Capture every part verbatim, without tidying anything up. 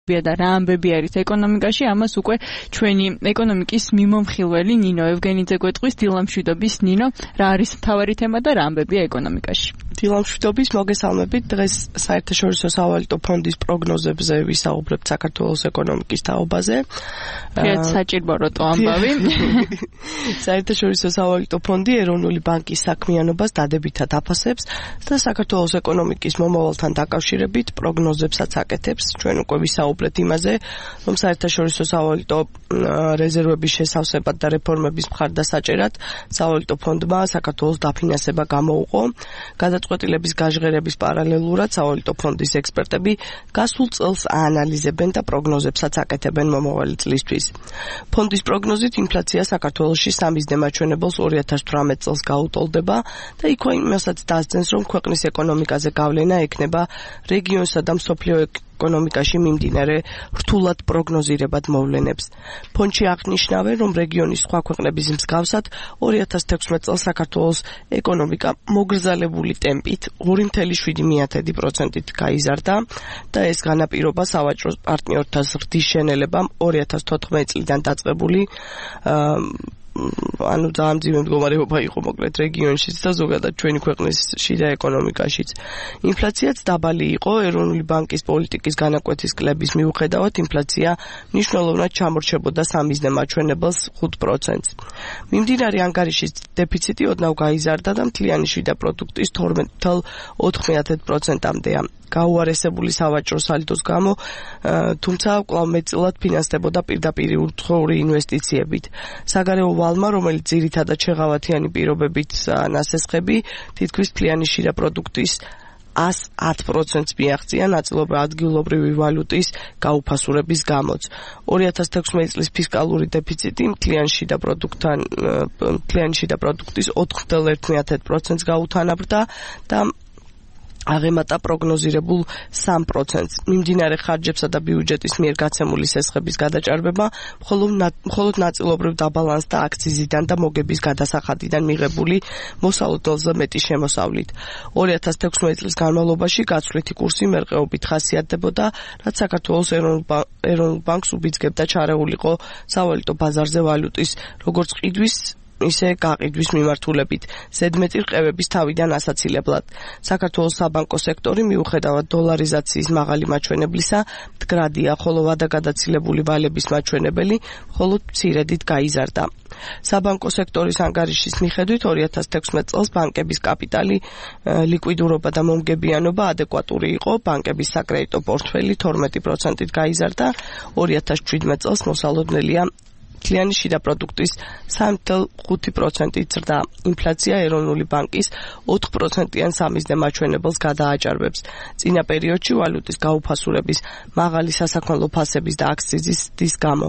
და რა ამბები არის ეკონომიკაში, ამას უკვე ჩვენი ეკონომიკის მიმომხილველი ნინო ევგენიძე გვეტყვის. დილამშვიდობის ნინო, რა არის მთავარი თემა და რა ამბებია ეკონომიკაში? დილამშვიდობის, მოგესალმებით. დღეს საერთაშორისო სავალუტო ფონდის პროგნოზებზე ვისაუბრებთ საქართველოს ეკონომიკის თაობაზე. ფრიად საჭირო როტო ამბავი. საერთაშორისო სავალუტო ფონდი ეროვნული ბანკის საქმიანობას დადებითად აფასებს და საქართველოს ეკონომიკის მომავალთან დაკავშირებით პროგნოზებსაც აკეთებს. ჩვენ უკვე ვისაუბრეთ იმაზე, რომ საერთაშორისო სავალუტო რეზერვების შესავსებად და რეფორმების მხარდასაჭერად სავალუტო ფონდმა საქართველოს დაფინანსება გამოუყო. გადაწყვეტილების გაჟღერების პარალელურად სავალუტო ფონდის ექსპერტები გასულ წელს აანალიზებენ და პროგნოზებსაც აკეთებენ მომავალი წლისთვის. ფონდის პროგნოზით ინფლაცია საქართველოში სამი ათას მაჩვენებელს ორი ათას თვრამეტ წელს გაუტოლდება და იქ იმასაც დასძენს, რომ ქვეყნის ეკონომიკაზე გავლენა ექნება რეგიონსა და მსოფლიო ეკონომიკაში მიმდინარე რთულად პროგნოზირებად მოვლენებს. ფონდში აღნიშნავენ, რომ რეგიონის სხვა ქვეყნების მსგავსად ორი ათას თექვსმეტ წელს საქართველოს ეკონომიკა მოგრძალებული ტემპით ორი ათეული შვიდი პროცენტით გაიზარდა და ეს განაპირობა სავაჭრო პარტნიორთა ზრდის შენელებამ ორი ათას თოთხმეტი წლიდან დაწყებული ანუ ძალიან მძიმე მდგომარეობა იყო მოკლედ რეგიონშიც და ზოგადად ჩვენი ქვეყნის შიდა ეკონომიკაშიც. ინფლაციაც დაბალი იყო. ეროვნული ბანკის პოლიტიკის განაკვეთის კლების მიუხედავად ინფლაცია მნიშვნელოვნად ჩამორჩებოდა სამი ათას მაჩვენებელს ხუთ პროცენტს. მიმდინარე ანგარიშის დეფიციტი ოდნავ გაიზარდა და მთლიანი შიდა პროდუქტის თორმეტ ათეულ ოთხ პროცენტამდეა. გაუარესებული სავაჭრო სალდოს გამო, თუმცა კვლავ მეტწილად ფინანსდებოდა პირდაპირი უთხოვრი ინვესტიციებით. საგარეო ვალმა, რომელიც ძირითადად შეღავათიანი პირობებით ნასესხები, თითქმის მთლიანი შიდა პროდუქტის ას ათ პროცენტს მიაღწია ნაწილობრივ ადგილობრივი ვალუტის გაუფასურების გამოც. ორი ათას თექვსმეტი წლის ფისკალური დეფიციტი მთლიანი შიდა პროდუქტთან მთლიანი შიდა პროდუქტის ოთხ ათეულ ერთ პროცენტს გაუთანაბრდა და აღემატა პროგნოზირებულ სამ პროცენტს. მიმდინარე ხარჯებსა და ბიუჯეტის მიერ გაცემული სესხების გადაჭარბება მხოლოდ ნაწილობრივ დაბალანსდა აქციზიდან და მოგების გადასახადიდან მიღებული მოსალოდელზე მეტი შემოსავლით. ორი ათას თექვსმეტი წლის განმავლობაში გაცვლითი კურსი მერყეობით ხასიათდებოდა, რაც საქართველოს ეროვნულ ბანკს უბიძგებდა ჩარეულიყო სავალუტო ბაზარზე ვალუტის როგორც ყიდვის ისე გაყიდვის მიმართულებით ზედმეტი რყევების თავიდან ასაცილებლად. საქართველოს საბანკო სექტორი მიუხედავად დოლარიზაციის მაღალი მაჩვენებლისა მდგრადია, ხოლო ვადაგადაცილებული ვალების მაჩვენებელი მხოლოდ მცირედით გაიზარდა. საბანკო სექტორის ანგარიშის მიხედვით ორი ათას თექვსმეტ წელს ბანკების კაპიტალი, ლიკვიდურობა და მომგებიანობა ადეკვატური იყო. ბანკების საკრედიტო პორტფელი თორმეტი პროცენტით გაიზარდა. ორი ათას შვიდმეტ წელს მოსალოდნელია მთლიანი შიდა პროდუქტის სამი ათეულ ხუთი პროცენტით ზრდა. ინფლაცია ეროვნული ბანკის ოთხ პროცენტიან სამი ათას მაჩვენებელს გადააჭარბებს. წინა პერიოდში ვალუტის გაუფასურების მაღალი სასაქონლო ფასების და აქციზის გამო.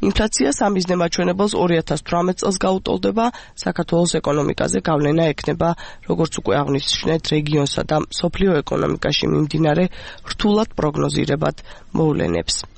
ინფლაცია სამი ათას მაჩვენებელს ორი ათას თვრამეტ წელს გაუტოლდება. საქართველოს ეკონომიკაზე გავლენა ექნება, როგორც უკვე აღნიშნეთ, რეგიონსა და მსოფლიო ეკონომიკაში მიმდინარე რთულად პროგნოზირებად მოვლენებს.